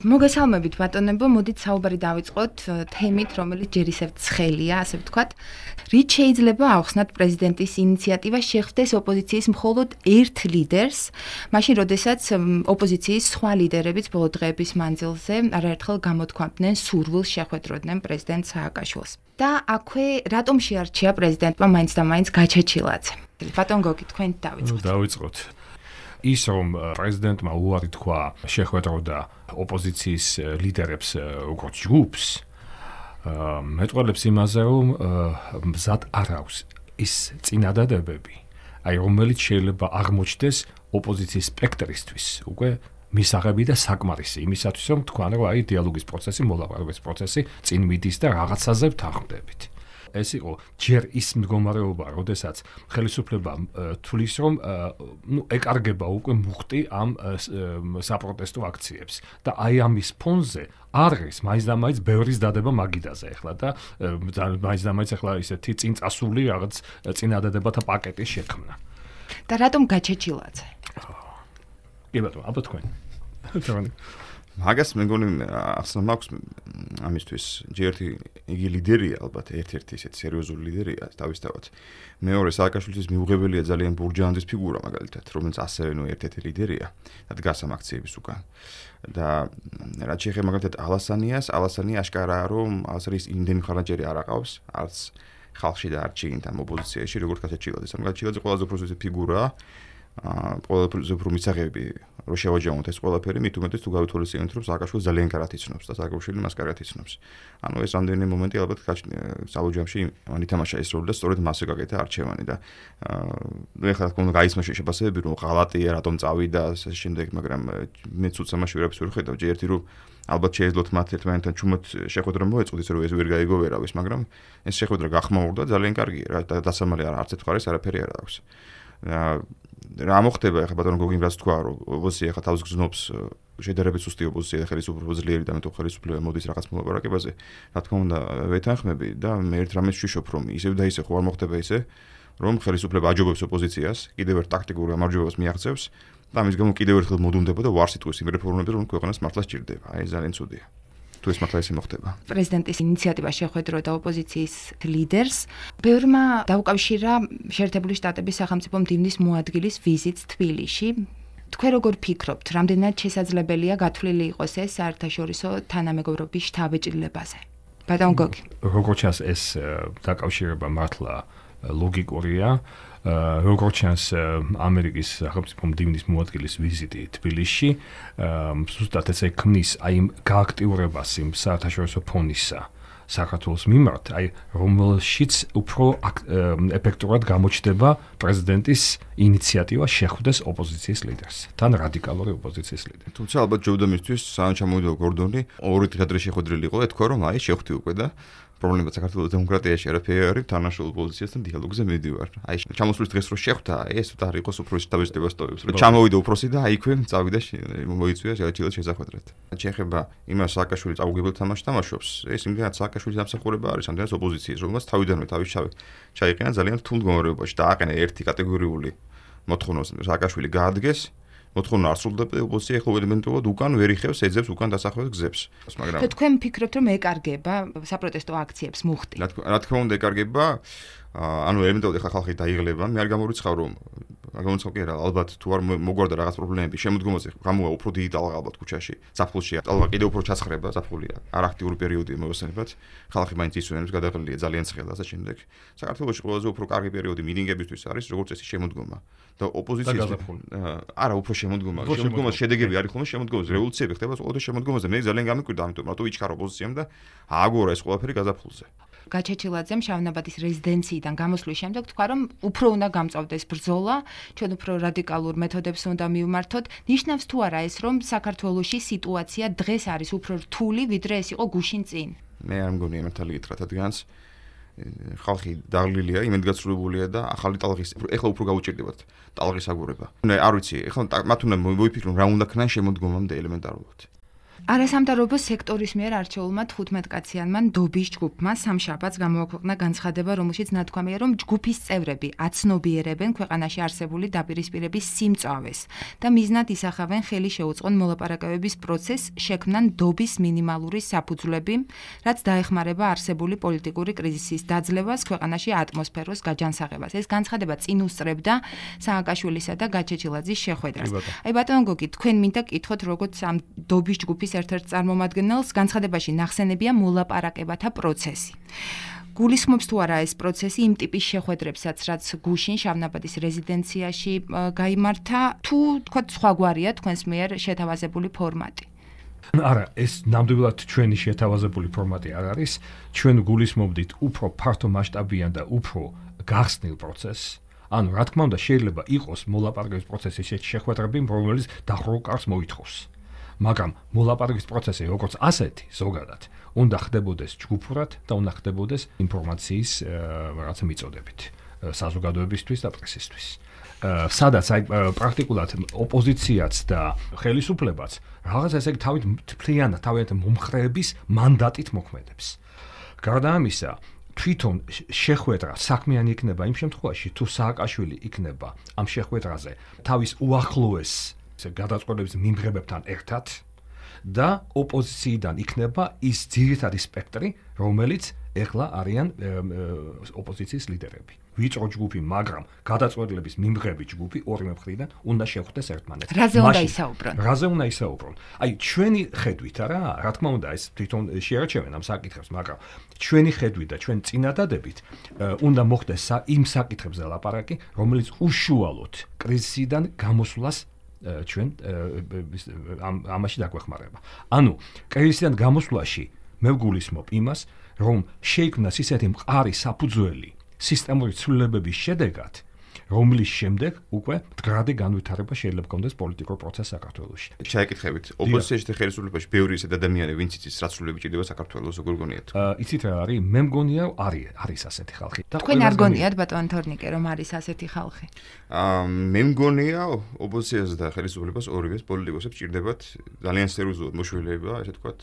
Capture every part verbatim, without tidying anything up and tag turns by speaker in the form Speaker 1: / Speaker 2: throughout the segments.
Speaker 1: მოგესალმებით ბატონებო, მოდით საუბარი დავიწყოთ თემით, რომელიც ჯერ ისევ ცხელია, ასე ვთქვათ. რით შეიძლება ავხსნათ პრეზიდენტის ინიციატივა შეხვდეს ოპოზიციის მხოლოდ ერთ ლიდერს, მაშინ როდესაც ოპოზიციის სხვა ლიდერებიც ბოლო დღეების მანძილზე არაერთხელ გამოთქვამდნენ სურვილს შეხვედროდნენ პრეზიდენტ სააკაშვილს. და აქვე რატომ შეარჩია პრეზიდენტმა მაინც და მაინც გაჩეჩილაძე? ბატონ გოგი, თქვენ დავიწყოთ.
Speaker 2: დავიწყოთ. ის რომ პრეზიდენტმა უარი თქვა შეხვედროდა ოპოზიციის ლიდერებს როგორც ჯგუფს, მეტყველებს იმაზე, რომ მზად არ აქვს ის წინადადებები, აი რომელიც შეიძლება აღმოჩნდეს ოპოზიციის სპექტრისთვის უკვე მისაღები და საკმარისი იმისათვის, რომ თქვან რომ აი დიალოგის პროცესი, მოლაპარაკების პროცესი წინ მიდის და რაღაცაზე ვთანხმდებით. ეს იყო ჯერ ის მდგომარეობა, როდესაც ხელისუფლება თulis რომ ნუ ეკარგება უკვე მუხტი ამ საპროტესტო აქციებს და აი ამის ფონზე არის მაინც და მაინც ბევრის დადება მაგიდაზე ახლა და მაინც და მაინც ახლა ისეთი წინ წასული რაღაც წინადადებათა პაკეტის შექმნა.
Speaker 1: და რატომ გაჩეჩილაძე?
Speaker 2: კი ბატონო, აბა თქვენ.
Speaker 3: მაგას მეგონი ახსნა მაქვს ამისთვის ჯერტი იგი ლიდერია ალბათ ერთ-ერთი ისეთ სერიოზული ლიდერია თავისთავად. მეორე სააკაშვილის მიუღებელია ძალიან ბურჯაანძის ფიგურა მაგალითად, რომელიც ასევე ნუ ერთ-ერთი ლიდერია და დგას ამ აქციების უკან. და რაც შეეხება მაგალითად ალასანიას, ალასანი აშკარაა რომ ალასანის იმდენი ხარაჯერი არ აყავს, არც ხალხში და არც შიგნით ამ ოპოზიციაში, როგორც გაჩეჩილაძე. მაგალითად ყველაზე უფრო ზუსტი ფიგურაა ყველაზე უფრო მისაღები რო შევაჯამოთ ეს ყველაფერი, მით უმეტეს თუ გავითვალისწინებთ, რომ სააკაშვილი ძალიან კარგად იცნობს და სააკაშვილი მას კარგად იცნობს. ანუ ეს რამდენი მომენტი ალბათ საბუჯამში მან ითამაშა ეს როლი და სწორედ მასზე გაკეთა არჩევანი და ნუ ეხლა თქო უნდა გაისმა შეშებასებები, რომ ღალატია, რატომ წავიდა და ამ შემდეგ, მაგრამ მეც უცამაში ვერაფერს ვერ ხედავ, ჯერტი რომ ალბათ შეეძლოთ მათ ერთმანეთთან ჩუმად შეხვედრა მოეწყოთ, ისე რომ ეს ვერ გაიგო ვერავის, მაგრამ ეს შეხვედრა გახმაურდა ძალიან კარგია რა და დასამალი არ არც ერთ მხარეს არაფერი არ აქვს. რა მოხდება ახლა ბატონო გოგიმ რაც თქვა რომ ოპოზიცია ახლა თავს გზნობს შედარებით სუსტი ოპოზიცია და ხელისუფლება ძლიერი და მე თუ ხელისუფლება მოდის რაღაც მოლაპარაკებაზე რა თქმა უნდა ვეთანხმები და მე ერთ რამეს ვშიშობ რომ ისევ და ისე ხო არ მოხდება ისე რომ ხელისუფლება აჯობებს ოპოზიციას კიდევ ერთ ტაქტიკურ გამარჯვებას მიაღწევს და ამის გამო კიდევ ერთხელ მოდუნდება და ვარს იტყვის იმ რეფორმებზე რომ ქვეყანას მართლა სჭირდება აი ძალიან ცუდია თუ ეს მართლა ისე მოხდება.
Speaker 1: პრეზიდენტის ინიციატივა შეხვედროდა ოპოზიციის ლიდერს. ბევრმა დაუკავშირა შეერთებული შტატების სახელმწიფო მდივნის მოადგილის ვიზიტს თბილისში. თქვენ როგორ ფიქრობთ, რამდენად შესაძლებელია გათვლილი იყოს ეს საერთაშორისო თანამეგობრობის შთაბეჭდილებაზე? ბატონ გოგი.
Speaker 2: როგორც ჩანს ეს დაკავშირება მართლა ლოგიკურია. როგორც ჩანს ამერიკის სახელმწიფო მდივნის მოადგილის ვიზიტი თბილისში, ზუსტად ესე ქმნის აი გააქტიურებას იმ საერთაშორისო ფონისა საქართველოს მიმართ, აი რომელშიც უფრო ეფექტურად გამოჩნდება პრეზიდენტის ინიციატივა შეხვდეს ოპოზიციის ლიდერს, თან რადიკალური ოპოზიციის ლიდერი.
Speaker 3: თუმცა ალბათ ჯობდა მისთვის სანამ ჩამოვიდა გორდონი, ორი დღე ადრე შეხვედრილი იყო, ეთქვა რომ აი შეხვდი უკვე და პრობლემა საქართველოს დემოკრატიაში არაფერი არის, თანაშრომლ ოპოზიციასთან დიალოგზე მიდივარ. აი ჩამოსვლის დღეს რო შეხვდა, ეს ούτε არ იყოს უფრო შტაბის-შტაბას ტოვებს, რომ ჩამოვიდა უფროსი და აი იქვე წავიდა მოიწვია შეაჩილად შესახვედრად. შეეხება იმას სააკაშვილი წაგუგებელ თამაშს თამაშობს, ეს იმდენად სააკაშვილის დამსახურება არის, ამდენად ოპოზიციის, რომელსაც თავიდანვე თავის ჩაიყენა ძალიან რთულ მდგომარეობაში და აყენა ერთი კატეგორიული მოთხოვნა სააკაშვილი გაადგეს. მოთხოვნა არ სრულდება და ოპოზიცია ეხლა ელემენტურად უკან ვერ იხევს, ეძებს უკან დასახველად გზებს.
Speaker 1: მაგრამ თქვენ ფიქრობთ რომ ეკარგება საპროტესტო აქციებს მუხტი?
Speaker 3: რა თქმა უნდა ეკარგება, ანუ ელემენტურად ეხლა ხალხი დაიღლება, მე არ გამორიცხავ რომ გამორიცხავ კი არა, ალბათ თუ არ მოგვარდა რაღაც პრობლემები, შემოდგომაზე გამოვა უფრო დიდი ტალღა ალბათ ქუჩაში, ზაფხულში ტალღა კიდევ უფრო ჩასხრება, ზაფხულია, არ აქტიური პერიოდია მოიხსენებათ, ხალხი მაინც ისვენებს, გადაღლილია ძალიან ცხელას და შემდეგ. საქართველოში ყველაზე უფრო კარგი პერიოდი მინინგებისთვის არის, როგორც წესი შემოდგომა. და ოპოზიციის არა უფრო შემოდგომა, შემოდგომას შედეგები არის ხოლმე შემოდგომაზე, რევოლუციები ხდება ყოველთვის შემოდგომაზე. მე ძალიან გამიკვირდა ამიტომ, რატო იჩქარა ოპოზიციამ და ააგორა ეს ყველაფერი გაზაფხულზე.
Speaker 1: გაჩეჩილაძემ შავნაბადის რეზიდენციიდან გამოსვლის შემდეგ თქვა, რომ უფრო უნდა გამწავდეს ბრძოლა, ჩვენ უფრო რადიკალურ მეთოდებს უნდა მივმართოთ. ნიშნავს თუ არა ეს, რომ საქართველოში სიტუაცია დღეს არის უფრო რთული, ვიდრე ეს იყო გუშინ წინ?
Speaker 3: მე არ მგონია მართალი გითხრათ რადგანაც ხალხი დაღლილია, იმედგაცრუებულია და ახალი ტალღის ეხლა უფრო გაუჭირდებათ ტალღის აგურება. არ ვიცი, ეხლა მათ უნდა მოიფიქრონ რა უნდა ქნან შემოდგომამდე ელემენტარულად.
Speaker 1: არასამთავრობო სექტორის მიერ არჩეულმა თხუთმეტკაციანმა ნდობის ჯგუფმა სამშაბათს გამოაქვეყნა განცხადება, რომელშიც ნათქვამია, რომ ჯგუფის წევრები აცნობიერებენ ქვეყანაში არსებული დაპირისპირების სიმწავეს და მიზნად ისახავენ ხელი შეუწყონ მოლაპარაკებების პროცესს, შექმნან ნდობის მინიმალური საფუძვლები, რაც დაეხმარება არსებული პოლიტიკური კრიზისის დაძლევას, ქვეყანაში ატმოსფეროს გაჯანსაღებას. ეს განცხადება წინ უსწრებდა სააკაშვილისა და გაჩეჩილაძის შეხვედრას. აი ბატონო გოგი, თქვენ მინდა კითხოთ, როგორც ამ ნდობის ჯგუფის ერთ-ერთ წარმომადგენელს განცხადებაში ნახსენებია მოლაპარაკებათა პროცესი. გულისხმობს თუ არა ეს პროცესი იმ ტიპის შეხვედრებსაც, რაც გუშინ შავნაბადის რეზიდენციაში გაიმართა, თუ თქვა სხვაგვარია თქვენს მიერ შეთავაზებული ფორმატი?
Speaker 2: არა, ეს ნამდვილად ჩვენი შეთავაზებული ფორმატი არ არის. ჩვენ გულისხმობდით უფრო ფართო მასშტაბიან და უფრო გახსნილ პროცესს. ანუ რა თქმა უნდა, შეიძლება იყოს მოლაპარაკების პროცესის შეხვედრები, რომელიც დახრულ კარს მოითხოვს. მაგრამ მოლაპარაკების პროცესი როგორც ასეთი ზოგადად უნდა ხდებოდეს ჯგუფურად და უნდა ხდებოდეს ინფორმაციის რაღაცა მიწოდებით საზოგადოებისთვის და პრესისთვის. სადაც აი პრაქტიკულად ოპოზიციაც და ხელისუფლებაც რაღაც ესე თავით თვლიანად თავიანთ მომხრეების მანდატით მოქმედებს. გარდა ამისა, თვითონ შეხვედრა საქმიანი იქნება იმ შემთხვევაში, თუ სააკაშვილი იქნება ამ შეხვედრაზე თავის უახლოეს გადაწყვეტილების მიმღებებთან ერთად და ოპოზიციიდან იქნება ის ძირითადი სპექტრი, რომელიც ეხლა არიან ოპოზიციის ლიდერები. ვიწრო ჯგუფი, მაგრამ გადაწყვეტილების მიმღები ჯგუფი ორივე მხრიდან უნდა შეხვდეს ერთმანეთს.
Speaker 1: რაზე უნდა ისაუბრონ?
Speaker 2: რაზე უნდა ისაუბრონ? აი ჩვენი ხედვით არა, რა თქმა უნდა ეს თვითონ შეერჩევენ ამ საკითხებს, მაგრამ ჩვენი ხედვით და ჩვენ წინადადებით უნდა მოხდეს იმ საკითხებზე ლაპარაკი, რომელიც უშუალოდ კრიზისიდან გამოსვლას ჩვენ ამაში დაგვეხმარება. ანუ კრიზისიდან გამოსვლაში მე ვგულისხმობ იმას, რომ შეიქმნას ისეთი მყარი საფუძველი სისტემური ცვლილებების შედეგად, რომლის შემდეგ უკვე მდგრადი განვითარება შეიძლება გქონდეს პოლიტიკურ პროცესს საქართველოში.
Speaker 3: ჩაიკითხებით, ოპოზიციაში და ხელისუფლებაში ბევრი ისეთი ადამიანი, ვინც იცის რა ცვლილებები ჭირდება საქართველოს, როგორ გონიათ?
Speaker 2: იცით რა არის? მე მგონია არის არის ასეთი ხალხი.
Speaker 1: თქვენ არ გონიათ ბატონ თორნიკე, რომ არის ასეთი ხალხი?
Speaker 3: აა მე მგონია ოპოზიციას და ხელისუფლებას ორივეს პოლიტიკოსებს ჭირდებათ ძალიან სერიოზულად მოშველება, ესე ვთქვათ,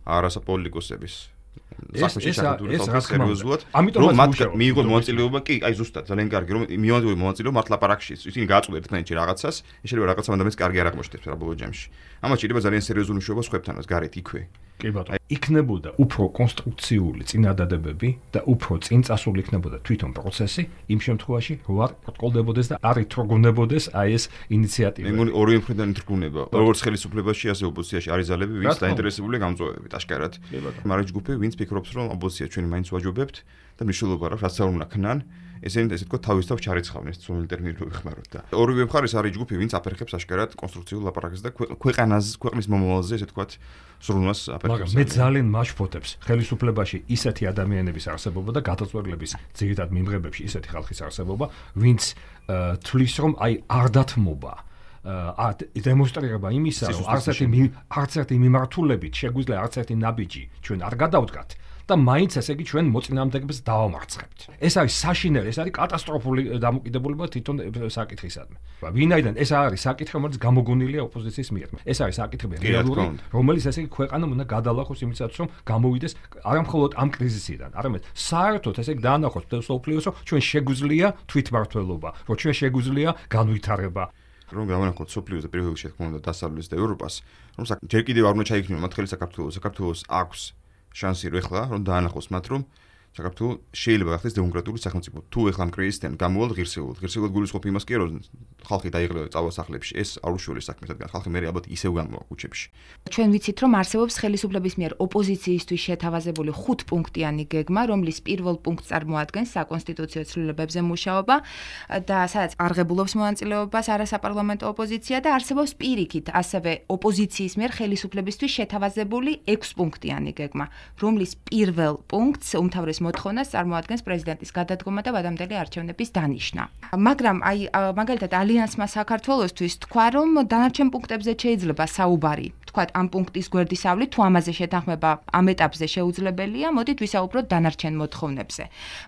Speaker 3: არასაპოლიტიკოსების საქმეში ჩართული სერიოზულად. რომ მათ მიიღონ მონაწილეობა, კი, აი ზუსტად, ძალიან კარგი, რომ მიიღონ მონაწილეობა მათ ლაპარაკში. ისინი გააწყვეტენ ერთმანეთში რაღაცას, შეიძლება რაღაცა ადამიანს კარგი არ აღმოჩნდეს რა ბოლო ჯამში. ამას ჭირდება ძალიან სერიოზული მუშაობა სხვებთანაც, გარეთ იქვე.
Speaker 2: კი ბატონო. იქნებოდა უფრო კონსტრუქციული წინადადებები და უფრო წინწასული იქნებოდა თვითონ პროცესი იმ შემთხვევაში, რომ არ ბრკოლდებოდეს და არ ითრგუნებოდეს აი ეს ინიციატივა.
Speaker 3: მე მგონი ორივე მხრიდან ითრგუნება. როგორც ხელისუფლებაში, ასე ოპოზიციაში არის ძალები, ვინც დაინტერესებულია გამწვევებით, აშკარად. მაგრამ ჯგუფი, ვინც ფიქრობს, რომ ოპოზიცია ჩვენი მაინც ვაჯობებთ და მნიშვნელობა აქვს, რაც არ უნდა ქნან. ესენი ესე თქო თავის თავ ჩარიცხავენ ეს ცნობილი ტერმინები ვიხმაროთ და ორივე მხარეს არის ჯგუფი, ვინც აფერხებს აშკარად კონსტრუქციულ ლაპარაკს და ქვეყანაზე, ქვეყნის მომავალზე ესე თქო სრულნას აფერხებს.
Speaker 2: მაგრამ მე ძალიან მაშფოთებს ხელისუფლებაში ისეთი ადამიანების არსებობა და გადაწყვეტილების ძირითად მიმღებებში ისეთი ხალხის არსებობა, ვინც თვლის რომ აი არ დათმობა ა დემონსტრირება იმისა, რომ არც ერთი არც ერთი მიმართულებით შეგვიძლია არც ერთი ნაბიჯი ჩვენ არ გადავდგათ. და მაინც ესე იგი ჩვენ მოწინააღმდეგეებს დავამარცხებთ. ეს არის საშინელი, ეს არის კატასტროფული დამოკიდებულება თვითონ საკითხისადმი. ვინაიდან ეს არის საკითხი, რომელიც გამოგონილია ოპოზიციის მიერ. ეს არის საკითხი რეალური, რომელიც ესე იგი ქვეყანამ უნდა გადალახოს იმისათვის, რომ გამოვიდეს არა მხოლოდ ამ კრიზისიდან, არამედ საერთოდ ესე იგი დაანახოს მსოფლიოს, რომ ჩვენ შეგვიძლია თვითმმართველობა, რომ ჩვენ შეგვიძლია განვითარება.
Speaker 3: რომ გამონახოთ სოფლიოს და პირველ რიგში თქმა უნდა დასავლეთს და ევროპას, რომ ჯერ კიდევ არ უნდა ჩაიქნიო მათ ხელი საქართველოს, საქართველოს აქვს შანსი რო ეხლა რომ დაანახოს მათ რომ საქართველოს შეიძლება გახდეს დემოკრატიული სახელმწიფო. თუ ეხლა ამ კრიზისიდან გამოვალ ღირსეულად, ღირსეულად გულისხმობ იმას კი რომ ხალხი დაიღლება წავა სახლებში, ეს არ უშუალო საქმე, რადგან ხალხი მე ალბათ ისევ გამოვა ქუჩებში.
Speaker 1: ჩვენ ვიცით რომ არსებობს ხელისუფლების მიერ ოპოზიციისთვის შეთავაზებული ხუთპუნქტიანი გეგმა, რომლის პირველ პუნქტს წარმოადგენს საკონსტიტუციო ცვლილებებზე მუშაობა და სადაც არღებულობს მონაწილეობას არასაპარლამენტო ოპოზიცია და არსებობს პირიქით ასევე ოპოზიციის მიერ ხელისუფლებისთვის შეთავაზებული ექვსპუნქტიანი გეგმა, რომლის პირველ პუნქტს უმთავრეს მოთხოვნას წარმოადგენს პრეზიდენტის გადადგომა და ვადამდელი არჩევნების დანიშნა. მაგრამ აი მაგალითად ალიანსმა საქართველოსთვის თქვა, რომ დანარჩენ პუნქტებზე შეიძლება საუბარი თქვათ, ამ პუნქტის გვერდისავლით თუ ამაზე შეთანხმება ამ ეტაპზე შეუძლებელია, მოდით ვისაუბროთ დანარჩენ მოთხოვნებზე.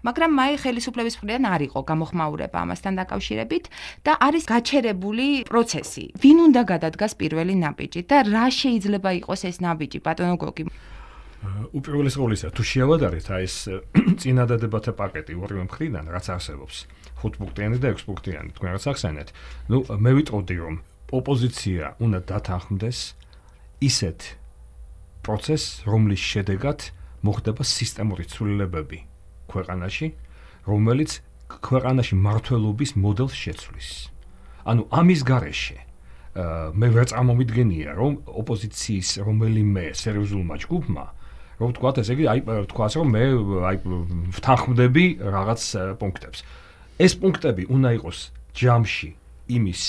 Speaker 1: მაგრამ მაი ხელისუფლების მხრიდან არ იყო გამოხმაურება ამასთან დაკავშირებით და არის გაჩერებული პროცესი. ვინ უნდა გადადგას პირველი ნაბიჯი და რა შეიძლება იყოს ეს ნაბიჯი, ბატონო გოგი?
Speaker 2: უპირველეს ყოვლისა, თუ შეავადარეთ აი ეს წინადადებათა პაკეტი ორივე მხრიდან, რაც არსებობს, ხუთპუნქტიანი და ექვსპუნქტიანი, თქვენ რაც ახსენეთ, ნუ მე ვიტყოდი, რომ ოპოზიცია უნდა დათანხმდეს ისეთ პროცესს, რომლის შედეგად მოხდება სისტემური ცვლილებები ქვეყანაში, რომელიც ქვეყანაში მართლობის მოდელს შეცვლის. ანუ ამის გარეშე მე ვერ წარმომიდგენია, რომ ოპოზიციის რომელიმე სერიოზულმა ჯგუფმა, რომ თქვათ ესე იგი, აი თქვას რომ მე აი ვთანხმდები რაღაც პუნქტებს. ეს პუნქტები უნდა იყოს ჯამში იმის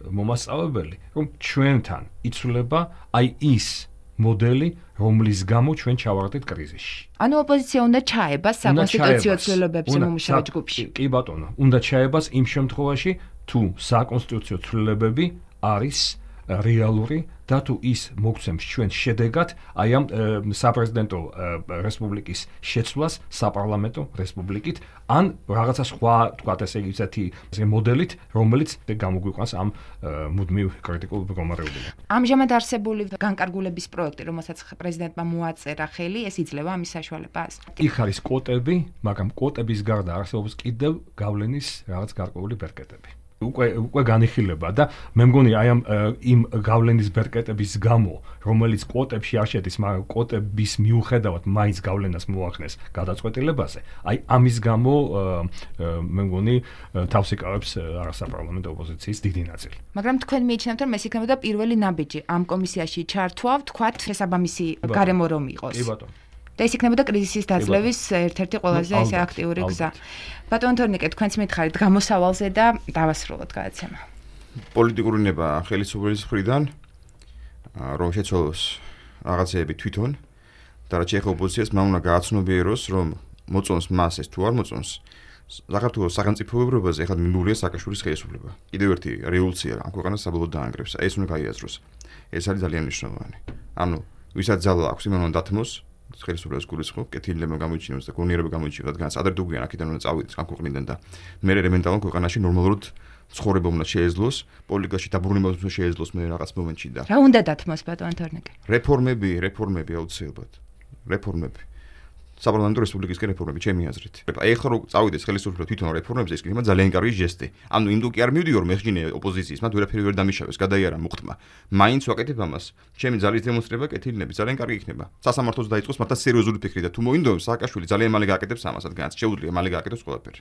Speaker 2: მომასწავლებელი, რომ ჩვენთან იცვლება აი ის მოდელი, რომლის გამო ჩვენ ჩავარდით კრიზისში.
Speaker 1: ანუ ოპოზიცია უნდა ჩაებას საკონსტიტუციო ცვლილებებზე მომუშავე ჯგუფში.
Speaker 2: კი ბატონო, უნდა ჩაებას იმ შემთხვევაში, თუ საკონსტიტუციო ცვლილებები არის რეალური და თუ ის მოგცემს ჩვენ შედეგად აი ამ საპრეზიდენტო რესპუბლიკის შეცვლას საპარლამენტო რესპუბლიკით ან რაღაცა სხვა თქვათ ესე იგი ისეთი მოდელით, რომელიც გამოგვიყვანს ამ მუდმივ კრიტიკულ მდგომარეობიდან.
Speaker 1: ამჟამად არსებული განკარგულების პროექტი, რომელსაც პრეზიდენტმა მოაწერა ხელი, ეს იძლევა ამის საშუალებას?
Speaker 2: იქ არის კვოტები, მაგრამ კვოტების გარდა არსებობს კიდევ გავლენის რაღაც გარკვეული ბერკეტები. უკვე უკვე განიხილება და მე მგონი აი ამ იმ გავლენის ბერკეტების გამო, რომელიც კვოტებში არ შედის, მაგრამ კვოტების მიუხედავად მაინც გავლენას მოახდენს გადაწყვეტილებაზე, აი ამის გამო მე მგონი თავს იკავებს არასაპარლამენტო ოპოზიციის დიდი ნაწილი.
Speaker 1: მაგრამ თქვენ მიიჩნევთ, რომ ეს იქნებოდა პირველი ნაბიჯი ამ კომისიაში ჩართვა, თქვათ, შესაბამისი გარემო რომ იყოს.
Speaker 2: კი ბატონო.
Speaker 1: და ეს იქნებოდა კრიზისის დაძლევის ერთ-ერთი ყველაზე ესე აქტიური გზა. ბატონო თორნიკე, თქვენც მითხარით გამოსავალზე და დავასრულოთ გადაცემა.
Speaker 3: პოლიტიკური ნება ხელისუფლების მხრიდან, რომ შეცვალოს რაღაცეები თვითონ და რაც ეხება ოპოზიციას, მან უნდა გააცნობიეროს, რომ მოწონს მას ეს თუ არ მოწონს, საქართველოს სახელმწიფოებრიობაზე ეხლა მინდურია სააკაშვილის ხელისუფლება. კიდევ ერთი რევოლუცია ამ ქვეყანას საბოლოოდ დაანგრევს. ეს უნდა გაიაზროს. ეს არის ძალიან მნიშვნელოვანი. ანუ ვისაც ძალა აქვს, იმან უნდა დათმოს ხელისუფლებას გულისხმობ, კეთილება გამოიჩინოს და გონიერება გამოიჩინოს, რადგან ადრე თუ გვიან აქედან უნდა წავიდეს ამ ქვეყნიდან და მე ელემენტალურ ქვეყანაში ნორმალურად ცხოვრება უნდა შეეძლოს, პოლიტიკაში დაბრუნება უნდა შეეძლოს მე რაღაც მომენტში და
Speaker 1: რა უნდა დათმოს ბატონო თორნიკე?
Speaker 3: რეფორმები, რეფორმები აუცილებლად. რეფორმები. საპარლამენტო რესპუბლიკისკენ რეფორმები ჩემი აზრით. აი ახლა რომ წავიდეს ხელისუფლება თვითონ რეფორმებზე, ეს იქნება ძალიან კარგი ჟესტი. ანუ იმდო კი არ მივდიო რომ ეხჯინე ოპოზიციის, მათ ვერაფერი ვერ დამიშავეს, გადაიარა მოხტმა. მაინც ვაკეთებ ამას. ჩემი ძალის დემონსტრება კეთილნები ძალიან კარგი იქნება. სასამართლოს დაიწყოს მართლა სერიოზული ფიქრი და თუ მოინდომს სააკაშვილი ძალიან მალე გააკეთებს ამასაც, განაც შეუძლია მალე გააკეთოს ყველაფერი.